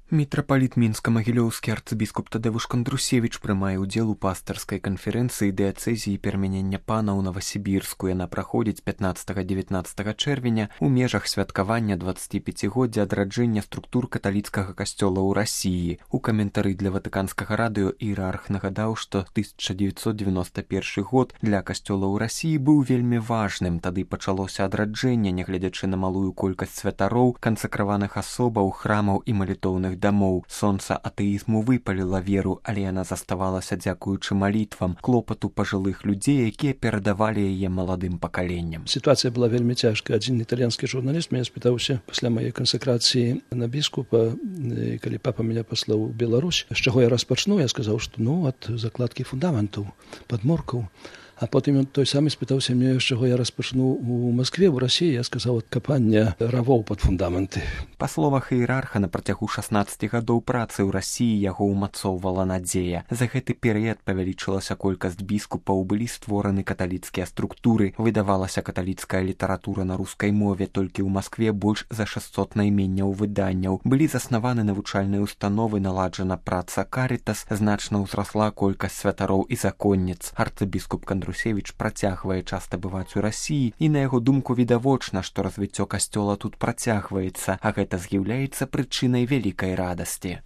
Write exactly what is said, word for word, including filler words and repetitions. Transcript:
Мітрапаліт мінска-магілёўскі арцыбіскуп Тадэвуш Кандрусевіч прымае ўдзел у пастырскай канферэнцыі дыяцэзіі перамянення пана ў Новасібірску. Яна праходзіць пятнаццатага-дзевятнаццатага чэрвеня ў межах святкавання дваццаціпяцігоддзя адраджэння структур каталіцкага касцёла ў Расіі. У каментары для ватыканскага радыё іерарх нагадаў, што тысяча дзевяцьсот дзевяноста першы год для касцёла ў Расіі быў вельмі важным. Тады пачалося адраджэнне, нягледзячы на малую колькасць святароў, кансакраваных асобаў, храмаў і малітоўных дамоў. Сонца атэізму выпаліла веру, але яна заставалася дзякуючы малітвам, клопату пажылых людзей, якія перадавалі яе маладым пакаленням. Сітуацыя была вельмі цяжкая. Адзін італьянскі журналіст мяне спытаўся пасля маёй кансакрацыі на біскупа, калі папа мяне паслаў у Беларусь, з чаго я распачну, я сказаў, што ну ад закладкі фундаментаў, падмуркаў. А потым ён той самы спытаўся мне, з чаго я распачну у Маскве, у Расіі. Я сказаў, ад капання равоў пад фундаменты. Па словах іерарха, на працягу шаснаццаці гадоў працы ў Расіі яго ўмацоўвала надзея. За гэты перыяд павялічылася колькасць біскупаў, былі створаны каталіцкія структуры, выдавалася каталіцкая літаратура на рускай мове, толькі ў Маскве больш за шэсцьсот найменняў выданняў. Былі заснаваны навучальныя установы, наладжана праца Карітас, значна ўзрасла колькасць святароў і законніц. Арцыбіскуп Кандрусевіч працягвае часта бываць у Расіі, і на яго думку відавочна, што развіццё касцёла тут працягваецца, а гэта з'яўляецца прычынай вялікай радасці.